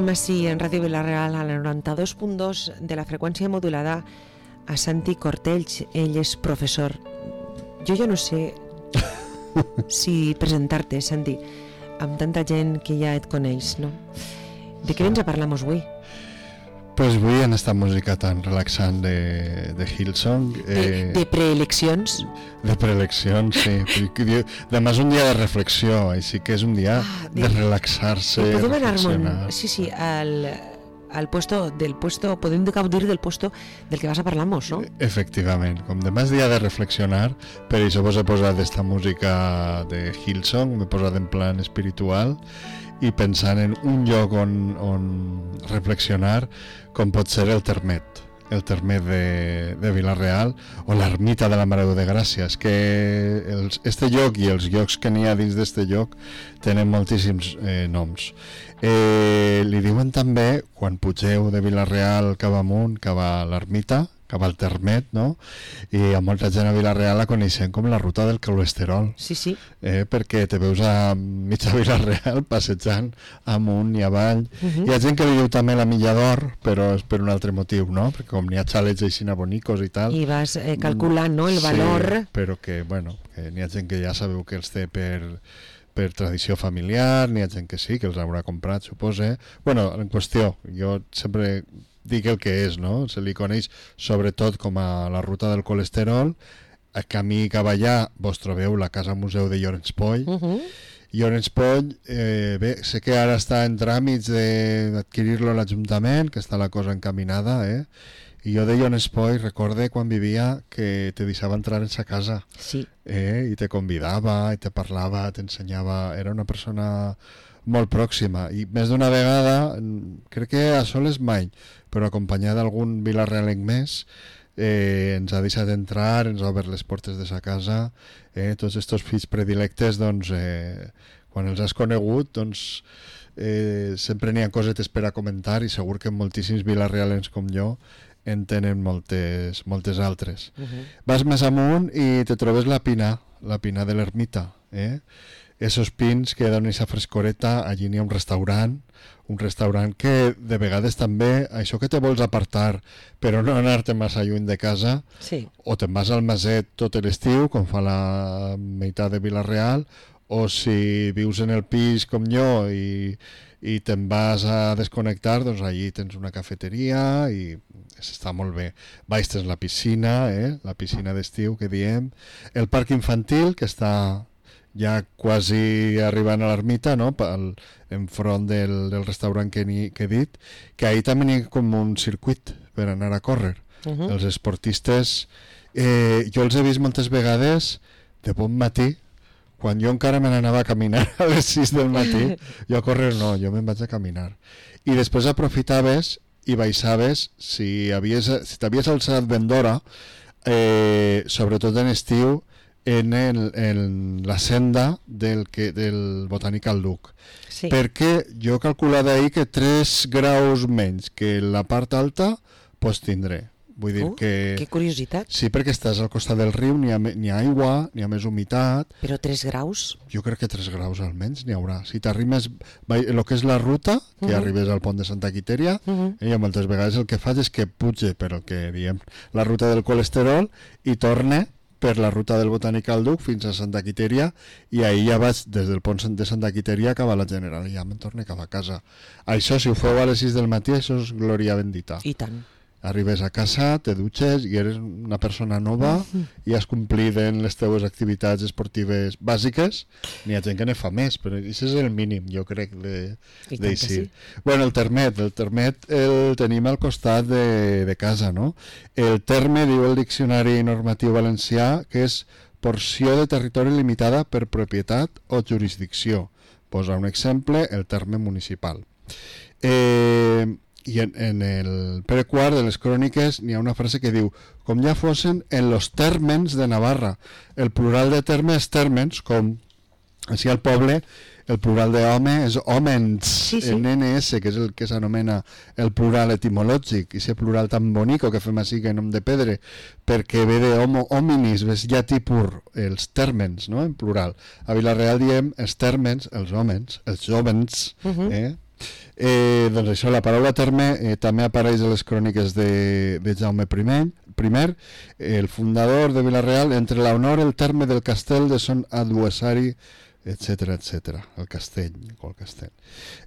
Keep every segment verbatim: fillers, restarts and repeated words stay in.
Tenim així en Ràdio Vila-real a la noranta-dos punt dos de la freqüència modulada a Santi Cortells. Ell és professor. Jo ja no sé si presentar-te, Santi, amb tanta gent que ja et coneix, no? De què vens a parlar-nos avui? Pues avui en esta música tan relaxant de, de Hillsong. Eh, de, de preeleccions? De preeleccions, sí. Demà és un dia de reflexió, així que és un dia ah, de, de relaxar-se, de reflexionar. Sí, sí, al, al puesto del puesto, podem gaudir del puesto del que vas a parlar-nos, no? Efectivament, com demà és dia de reflexionar, per això vos he posat esta música de Hillsong, m'he posat en plan espiritual, i pensant en un lloc on, on reflexionar, com pot ser el Termet, el Termet de, de Vila-real, o l'ermita de la Mare de Gràcia. És que els, este lloc i els llocs que n'hi ha dins d'este lloc tenen moltíssims eh, noms. Eh, li diuen també, quan pugeu de Vila-real cap amunt, cap a l'ermita, cap al Termet, no? I a molta gent a Vila-real la coneixen com la ruta del colesterol. Sí, sí. Eh, perquè te veus a mitja Vila-real passejant amunt i avall. Uh-huh. Hi ha gent que li diu també la Milla d'Or, però és per un altre motiu, no? Perquè com n'hi ha xalets així bonicos i tal... I vas eh, calculant, no?, el valor... Sí, però que, bueno, que n'hi ha gent que ja sabeu que els té per... per tradició familiar, n'hi ha gent que sí, que els haurà comprat, supose. Bueno, en qüestió, jo sempre dic el que és, no? Se li coneix sobretot com a la ruta del colesterol. A camí cap allà vos trobeu la Casa Museu de Llorenç Poll. Uh-huh. Llorenç Poll, eh, bé, sé que ara està en tràmits d'adquirir-lo a l'Ajuntament, que està la cosa encaminada, eh? I jo de Llorenç Poll recorde quan vivia que te deixava entrar en sa casa. Sí. Eh? I te convidava, i te parlava, t'ensenyava... Era una persona molt pròxima. I més d'una vegada, crec que a soles mai, però acompanyada d'algun vilarrealenc més, eh, ens ha deixat entrar, ens ha obert les portes de sa casa. Eh? Tots estos fills predilectes, doncs, eh, quan els has conegut, doncs... Eh, sempre n'hi ha cosetes per a comentar i segur que moltíssims vilarrealens com jo en tenen moltes, moltes altres. Uh-huh. Vas més amunt i te trobes la pina, la pina de l'ermita, eh? Esos pins que donen aquesta frescoreta. Allí n'hi ha un restaurant, un restaurant que de vegades també, això que te vols apartar però no anar-te massa lluny de casa, sí. O te'n vas al Maset tot l'estiu, com fa la meitat de Vila-real, o si vius en el pis com jo i, i te'n vas a desconnectar, doncs allí tens una cafeteria i està molt bé. Baix tens la piscina, eh? La piscina d'estiu que diem, el parc infantil que està ja quasi arribant a l'ermita, no? Pel, enfront del, del restaurant que, ni, que he dit, que ahí també hi ha com un circuit per anar a córrer. Uh-huh. Els esportistes, eh, jo els he vist moltes vegades de bon matí, quan jo encara me n'anava a caminar a les sis del matí, jo a córrer no, jo me'n vaig a caminar. I després aprofitaves i baixaves, si havies, si t'havies alçat ben d'hora, eh, sobretot en estiu, en, el, en la senda del, que, del Botànic al Duc. Sí. Perquè jo he calculat ahir que tres graus menys que la part alta pots tindré. Vull dir uh, que... Que curiositat. Sí, perquè estàs al costat del riu, n'hi ha, n'hi ha aigua, n'hi ha més humitat. Però tres graus? Jo crec que tres graus almenys n'hi haurà. Si t'arrimes, el que és la ruta, que uh-huh. arribes al pont de Santa Quiteria, uh-huh. eh, moltes vegades el que faig és que puge per el que diem la ruta del colesterol i torne per la ruta del Botànic al Duc fins a Santa Quiteria, i ahir ja vaig des del pont de Santa Quiteria cap a la General i ja me'n torne cap a casa. Això, si ho feu a les sis del matí, això és glòria bendita. I tant. Arribes a casa, te dutxes i eres una persona nova i has complit en les teves activitats esportives bàsiques. N'hi ha gent que ne fa més, però això és el mínim, jo crec, d'així. Sí. Bueno, el Termet, el Termet el tenim al costat de, de casa, no? El terme, diu el Diccionari Normatiu Valencià, que és porció de territori limitada per propietat o jurisdicció. Posa un exemple, el terme municipal. Eh... I en, en el Pere quart de les cròniques n'hi ha una frase que diu com ja fossin en los térmens de Navarra. El plural de terme és térmens, com així al poble el plural d'home és homens, sí, sí. En ene esse, que és el que s'anomena el plural etimològic, i ese plural tan bonico que fem així que nom de pedre, perquè ve de homo hominis, és llatí pur, els térmens, no? En plural. A Vila-real diem els térmens, els homes, els jovens, uh-huh. eh? Eh, doncs això, la paraula terme eh, també apareix a les cròniques de, de Jaume I, primer, el fundador de Vila-real, entre l'honor el terme del castell de son adversari, etcètera, etcètera, el castell, qual castell.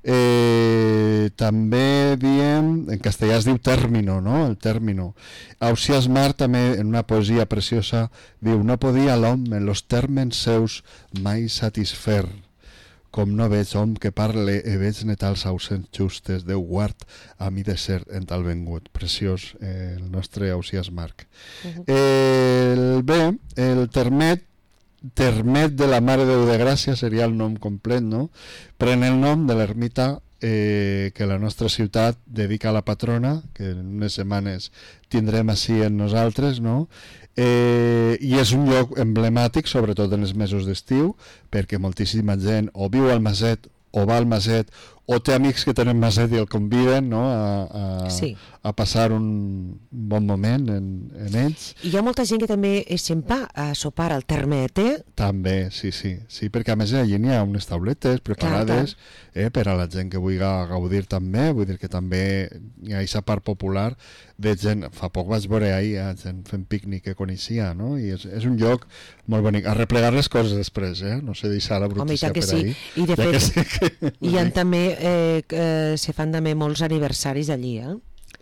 Eh, també diem, en castellà es diu término, no? El término. Ausiàs Mar també, en una poesia preciosa, diu: no podia l'home en los termes seus mai satisfer, com no veig hom que parle e veig netals ausents justes, Déu guard a mi de ser en tal vengut. Preciós, eh, el nostre Ausiàs Marc. Uh-huh. El, bé, el termet, termet de la Mare de Déu de Gràcia seria el nom complet, no? Pren el nom de l'ermita eh, que la nostra ciutat dedica a la patrona, que en unes setmanes tindrem així en nosaltres, no? Eh, i és un lloc emblemàtic, sobretot en els mesos d'estiu, perquè moltíssima gent o viu al Maset o va al Maset o té amics que tenen Maset i el conviden, no? a, a, sí. a passar un bon moment en, en ells. I hi ha molta gent que també se'n va a sopar al termet, eh? També, sí, sí, sí, perquè a més allí n'hi ha unes tauletes preparades, clar, clar. Eh, per a la gent que vulgui gaudir també, vull dir que també hi ha aquesta part popular de gent. Fa poc vaig veure ahir eh, gent fent pícnic que coneixia, no? I és, és un lloc molt bonic. A replegar les coses després, eh? No sé deixar la brutícia per sí. ahir. I de fet, sí que... hi ha també, eh, eh, se fan també molts aniversaris allí, eh?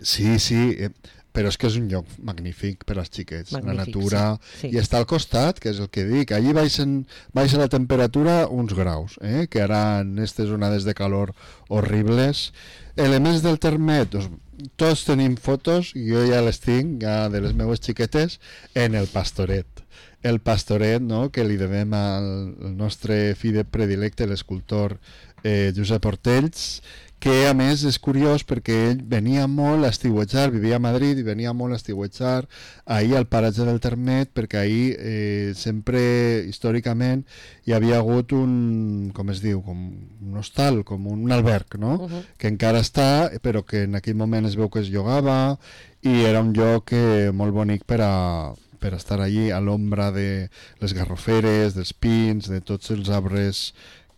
Sí, sí, eh, però és que és un lloc magnífic per als xiquets, magnífic, la natura, sí, sí. I està al costat, que és el que dic, allí baixen, baixa la temperatura uns graus, eh? Que ara en aquestes onades de calor horribles. Elements del termet, doncs, tots tenim fotos, jo ja les tinc, ja de les meues xiquetes, en el Pastoret. El Pastoret, no?, que li devem al, al nostre fill predilecte, l'escultor eh, Josep Ortells, que a més és curiós perquè ell venia molt a estiuetjar, vivia a Madrid i venia molt a estiuetjar ahir al paratge del Termet, perquè ahir eh, sempre històricament hi havia hagut un, com es diu, com un hostal, com un alberg, no? Uh-huh. Que encara està, però que en aquell moment es veu que es llogava i era un lloc eh, molt bonic per a per estar allí a l'ombra de les garroferes, dels pins, de tots els arbres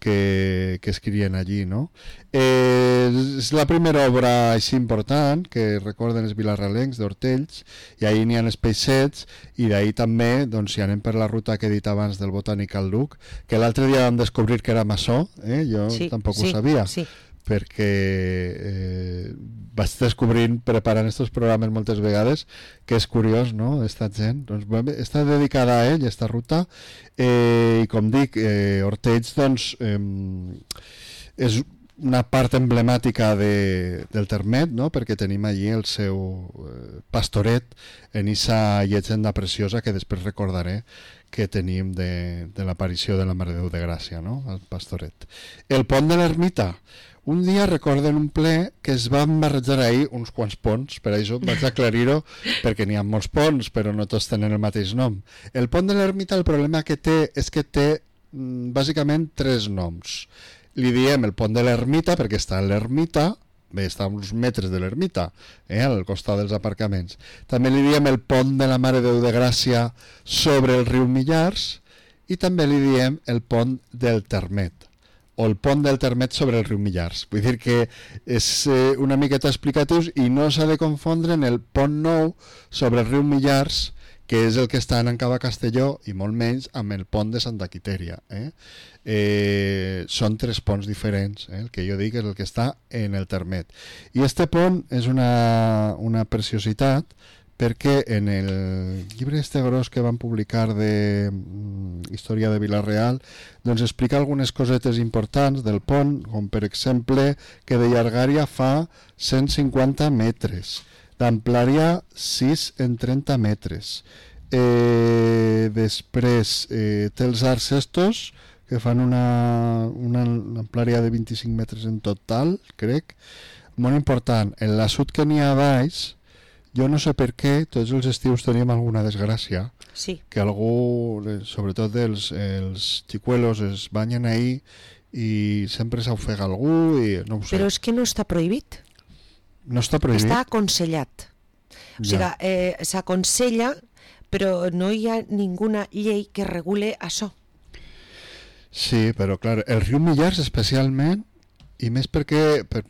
que, que es crien allí, no? Eh, és la primera obra així important que recorden els vilarralencs d'Hortells, i ahir n'hi ha els peixets, i d'ahir també, doncs, si anem per la ruta que he dit abans del Botànic al Duc, que l'altre dia vam descobrir que era maçó, eh? Jo sí, tampoc sí, ho sabia, sí. Perquè eh, vaig descobrint preparant aquests programes moltes vegades que és curiós, no?, esta gent, doncs, està dedicada a ell, aquesta ruta, eh, i com dic, eh, Hortells, doncs, eh, és una part emblemàtica de, del Termet, no?, perquè tenim allí el seu eh, pastoret en esa llegenda preciosa que després recordaré que tenim de, de l'aparició de la Mare de Déu de Gràcia, no?, el pastoret. El pont de l'Ermita. Un dia recorden un ple que es van barrejar ahir uns quants ponts, per això vaig aclarir-ho, perquè n'hi ha molts ponts, però no tots tenen el mateix nom. El pont de l'Ermita, el problema que té és que té mm, bàsicament tres noms. Li diem el pont de l'Ermita perquè està a l'Ermita, bé, està a uns metres de l'Ermita, eh, al costat dels aparcaments. També li diem el pont de la Mare de Déu de Gràcia sobre el riu Millars, i també li diem el pont del Termet, o el pont del Termet sobre el riu Millars. Vull dir que és eh, una miqueta explicatius i no s'ha de confondre en el pont nou sobre el riu Millars, que és el que està en Cava Castelló, i molt menys amb el pont de Santa Quitèria. Eh? Eh, són tres ponts diferents, eh? El que jo dic és el que està en el Termet. I este pont és una, una preciositat, perquè en el llibre este gros que van publicar de mm, Història de Vila-real, doncs explica algunes cosetes importants del pont, com per exemple que de llargària fa cent cinquanta metres, d'amplària sis en trenta metres. Eh, després eh, té els arcs estos, que fan una, una amplària de vint-i-cinc metres en total, crec. Molt important, en l'assut que n'hi ha baix, jo no sé per què, tots els estius tenim alguna desgràcia, sí. Que algú, sobretot els, els xicuelos, es banyen ahí i sempre s'ofega algú i no ho sé. Però és que no està prohibit. No està prohibit? Està aconsellat. O sigui, ja. eh, s'aconsella, però no hi ha ninguna llei que regule això. Sí, però clar, el riu Millars especialment i més perquè per,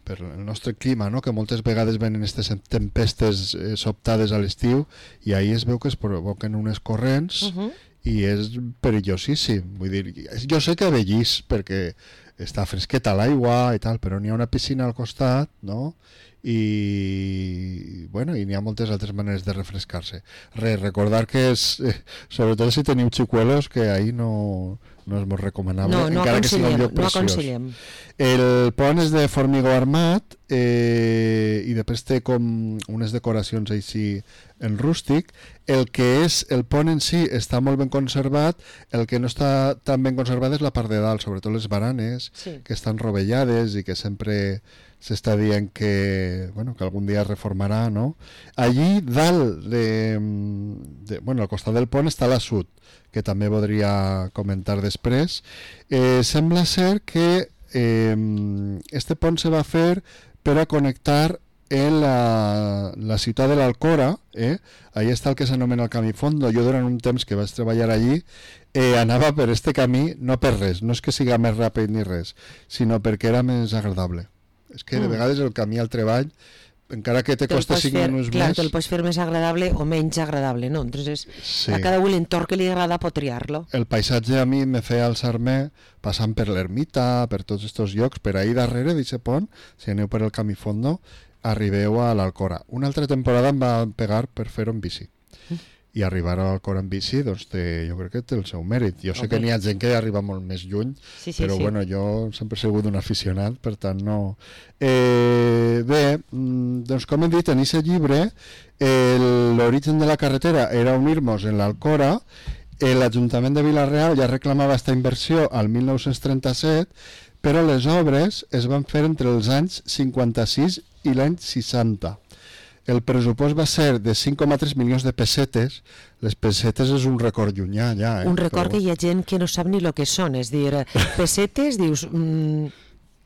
per el nostre clima, no? Que moltes vegades venen aquestes tempestes eh, sobtades a l'estiu i ahir es veu que es provoquen unes corrents uh-huh. i és perillosíssim. Vull dir, jo sé que vellís perquè està fresqueta l'aigua i tal, però n'hi ha una piscina al costat, no? I bueno, i n'hi ha moltes altres maneres de refrescar-se. Re, recordar que és, eh, sobretot si teniu xicuelos, que ahir no, no és molt recomanable, no, no encara que sigui un lloc no preciós. Aconsellem. El pont és de formigó armat eh, i després té com unes decoracions així en rústic. El que és el pont en si està molt ben conservat, el que no està tan ben conservat és la part de dalt, sobretot les baranes, sí. que estan rovellades i que sempre s'està dient que, bueno, que algun dia es reformarà, no? Allí dalt de, de, bueno, al costat del pont està l'assut, que també podria comentar després. Eh, sembla ser que eh, este pont se va fer per a connectar en la, la ciutat de l'Alcora, eh? Allà està el que s'anomena el camí fondo. Jo durant un temps que vaig treballar allí eh, anava per este camí, no per res, no és que siga més ràpid ni res, sinó perquè era més agradable. És que de vegades el camí al treball, encara que te costa cinc minuts clar, més... Clar, te'l pots fer més agradable o menys agradable, no? Entonces, sí. A cada un l'entorn que li agrada pot triar-lo. El paisatge a mi me feia alçar-me passant per l'ermita, per tots aquests llocs, per ahir darrere d'aquest pont, si aneu per el camí fondo, arribeu a l'Alcora. Una altra temporada em va pegar per fer-ho en bici. Mm. I arribar a l'Alcora en bici, doncs té, jo crec que té el seu mèrit. Jo sé okay. que n'hi ha gent que arriba molt més lluny, sí, sí, però sí. bueno, jo sempre he sigut un aficionat, per tant no... Eh, bé, doncs com hem dit, en aquest llibre l'origen de la carretera era unir-nos en l'Alcora. L'Ajuntament de Vila-real ja reclamava aquesta inversió al mil nou-cents trenta-set, però les obres es van fer entre els anys cinquanta-sis i l'any seixanta. El pressupost va ser de cinc coma tres milions de pessetes. Les pessetes és un record llunyà ja. Eh? Un record però... que hi ha gent que no sap ni el que són, és dir, pessetes, dius... Mm...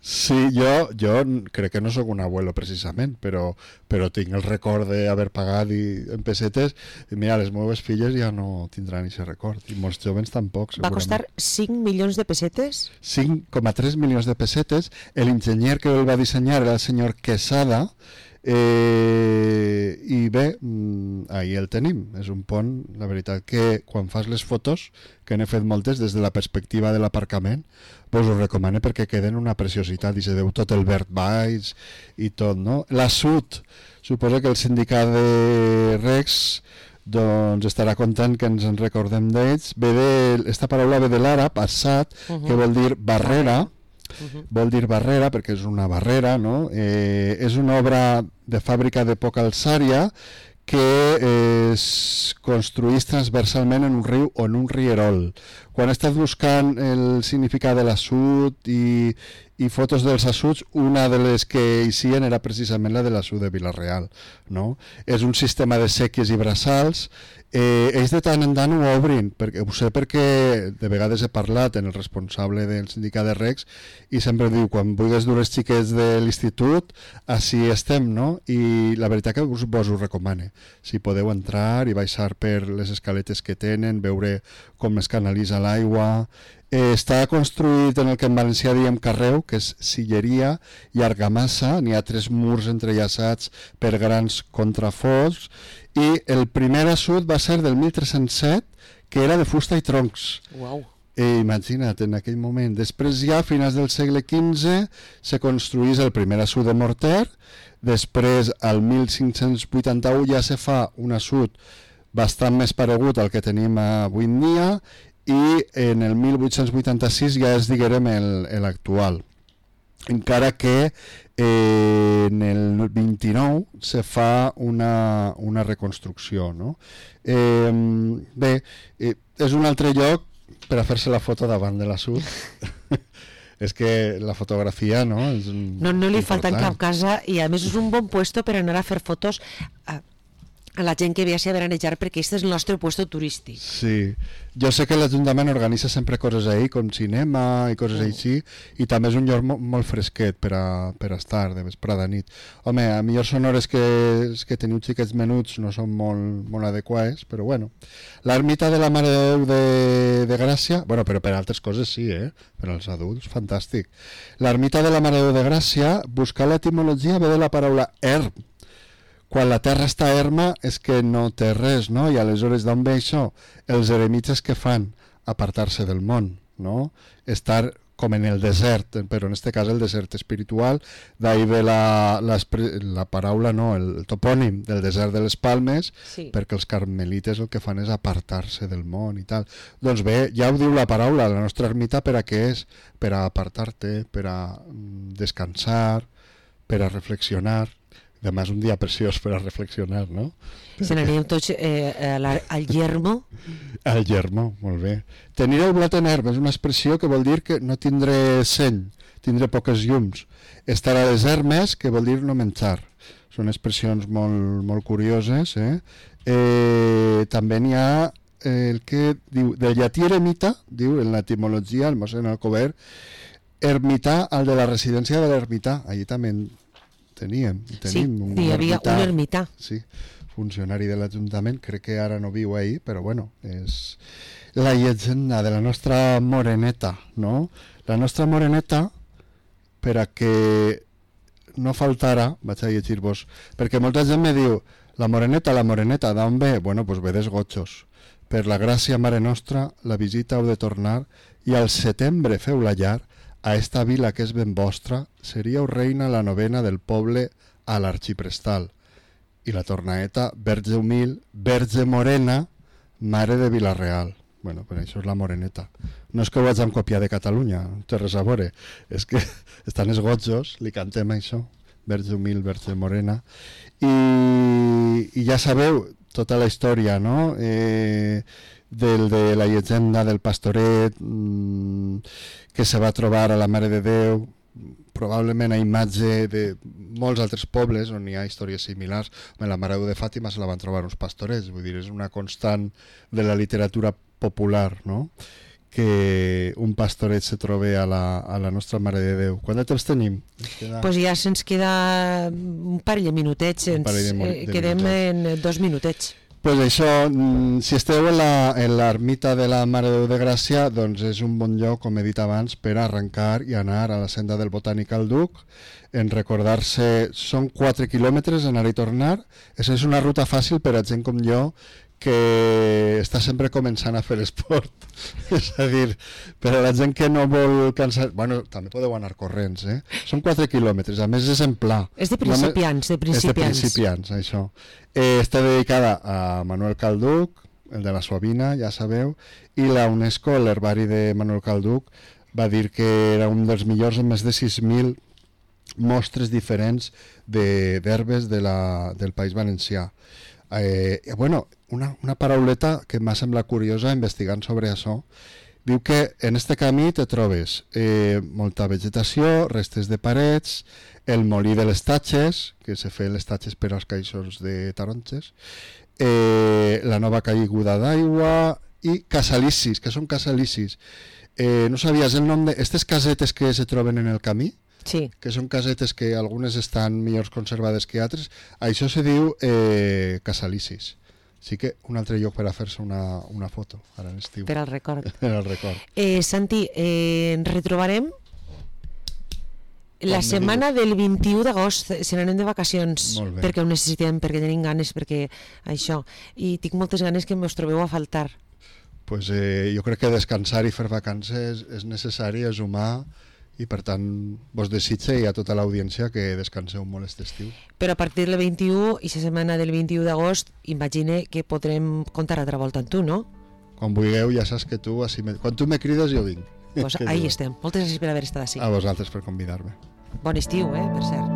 Sí, jo, jo crec que no sóc un abuelo precisament, però, però tinc el record d'haver pagat i, en pessetes, i mira, les meves filles ja no tindran aquest record, i molts joves tampoc, segurament. Va costar cinc milions de pessetes? cinc coma tres milions de pessetes. L'enginyer que el va dissenyar era el senyor Quesada, Eh, i bé, ahí el tenim. És un pont, la veritat que quan fas les fotos, que n'he fet moltes des de la perspectiva de l'aparcament, vos ho recomano perquè queden una preciositat i se veu tot el verd baix i tot, no? L'assut, suposo que el sindicat de Recs doncs estarà content que ens en recordem d'ells. Ve de, esta paraula ve de l'àrab, assat, uh-huh. que vol dir barrera. Uh-huh. Vol dir barrera perquè és una barrera, no? Eh, és una obra de fàbrica de poca alçària que eh, es construïx transversalment en un riu o en un rierol. Quan he estat buscant el significat de l'assut i, i fotos dels assuts, una de les que hi sien era precisament la de l'assut de Vila-real, no? És un sistema de sèquies i braçals. Eh, ells de tant en tant ho obrin, perquè, ho sé perquè de vegades he parlat en el responsable del sindicat de Recs i sempre diu, quan vulguis dur els xiquets de l'institut, així estem, no? I la veritat que us, vos ho recomane. Si podeu entrar i baixar per les escaletes que tenen, veure com es canalitza l'aigua. Eh, està construït en el que en valencià diem carreu, que és silleria i argamassa. N'hi ha tres murs entrellaçats per grans contraforts. I el primer assut va ser del mil tres-cents set, que era de fusta i troncs. Uau. Eh, imagina't, en aquell moment. Després ja, a finals del segle quinze, se construís el primer assut de morter. Després, al mil cinc-cents vuitanta-u, ja se fa un assut bastant més paregut al que tenim avui en dia, i en el mil vuit-cents vuitanta-sis ja és, diguem, l'actual. Encara que eh, en el vint-i-nou se fa una, una reconstrucció, no? Eh, bé, eh, és un altre lloc per a fer-se la foto davant de l'assut. És que la fotografia, no? És un, no, no li important. Falta en cap casa, i a més és un bon puesto per anar a fer fotos a, a la gent que ve a veranejar, perquè aquest és el nostre puesto turístic. Sí, jo sé que l'Ajuntament organitza sempre coses ahí, com cinema i coses Mm. així, i també és un lloc mo molt fresquet per a, per a estar de vesprada a nit. Home, a millor són hores que, que teniu xiquets menuts no són molt, molt adequades, però bueno. L'ermita de la Mare de Déu de, de Gràcia, bueno, però per altres coses sí, eh? Per als adults, fantàstic. L'ermita de la Mare de Déu de Gràcia, buscar l'etimologia ve de la paraula erm. Quan la terra està erma és que no té res, no? I aleshores d'on ve això? Els eremites que fan? Apartar-se del món, no? Estar com en el desert, però en este cas el desert espiritual, d'ahir ve la, la, la paraula, no, el topònim del desert de les Palmes, Sí. perquè els carmelites el que fan és apartar-se del món i tal. Doncs bé, ja ho diu la paraula, la nostra ermita per a què és? Per a apartar-te, per a descansar, per a reflexionar. Demà és un dia preciós per a reflexionar, no? Se n'anem tots eh, a la, al yermo. Al yermo, molt bé. Tenir el blat en herba és una expressió que vol dir que no tindré seny, tindré poques llums. Estar a les hermes, que vol dir no menjar. Són expressions molt, molt curioses. Eh? Eh, també n'hi ha el que diu, del llatí eremita, diu en l'etimologia, el mossèn Alcover, ermità, el de la residència de l'ermità. Allí també en teníem. Sí, Tenim un hi havia ermità, un ermità. sí, funcionari de l'Ajuntament, crec que ara no viu ahí, però bueno, és la llegenda de la nostra moreneta, no? La nostra moreneta, per a que no faltara, vaig a llegir-vos, perquè molta gent me diu, la moreneta, la moreneta, d'on ve? Bueno, doncs ve dels Gotxos. Per la gràcia Mare Nostra, la visita heu de tornar, i al setembre feu la llar, a esta vila que és ben vostra, seríeu reina la novena del poble a l'arxiprestal. I la tornaeta, verge humil, verge morena, mare de Vila-real. Bueno, però això és la moreneta. No és que ho hagin copiat de Catalunya, no té res a veure. És que estan els Gotxos, li cantem això, verge humil, verge morena. I, i ja sabeu tota la història, no?, eh, del, de la llegenda del pastoret mmm, que se va trobar a la Mare de Déu, probablement a imatge de molts altres pobles on hi ha històries similars. La Mare de Déu de Fàtima se la van trobar uns pastorets, vull dir, és una constant de la literatura popular, no?, que un pastoret se trobe a la, a la nostra Mare de Déu. Quant de temps tenim? Queda... Pues ja se'ns queda un parell de minutets, ens de, eh, quedem minutets. en dos minutets. Pues això, si esteu en l'ermita de la Mare de Déu de Gràcia, doncs és un bon lloc, com he dit abans, per arrencar i anar a la senda del Botànic al Duc, en recordar-se, són quatre quilòmetres anar i tornar, això és una ruta fàcil per a gent com jo, que està sempre començant a fer esport. És a dir, per a la gent que no vol cansar... Bueno, també podeu anar corrents, eh? Són quatre quilòmetres, a més és en pla. És de principiants, de principiants. És de principiants, això. Eh, està dedicada a Manuel Calduc, el de la Suavina, ja sabeu, i la UNESCO, l'herbari de Manuel Calduc, va dir que era un dels millors amb més de sis mil mostres diferents d'herbes de, de la, del País Valencià. Eh, bueno, una, una parauleta que m'ha semblat curiosa investigant sobre això. Diu que en este camí te trobes eh, molta vegetació, restes de parets, el molí de les tatxes, que se feien les tatxes per als caixons de taronges, eh, la nova caiguda d'aigua i casalicis, que són casalicis. Eh, no sabies el nom d'aquestes casetes que se troben en el camí? Sí. Que són casetes que algunes estan millor conservades que altres, això se diu eh, casalicis. Sí que un altre lloc per a fer-se una, una foto ara en estiu. Per al record. Per al record. Eh, Santi, eh, ens retrobarem la setmana del vint-i-u d'agost, se n'anem de vacacions, perquè ho necessitem, perquè tenim ganes, perquè això, i tinc moltes ganes que us trobeu a faltar. Pues, eh, jo crec que descansar i fer vacances és necessari, és humà, i per tant vos desitge i a tota l'audiència que descanseu molt aquest estiu. Però a partir del vint-i-u i la setmana del vint-i-u d'agost imagine que podrem contar altra volta amb tu, no? Quan vulgueu, ja saps que tu així me... quan tu me crides jo vinc. Pues ahí estem. Moltes gràcies per haver estat així. A vosaltres per convidar-me. Bon estiu, eh, per cert.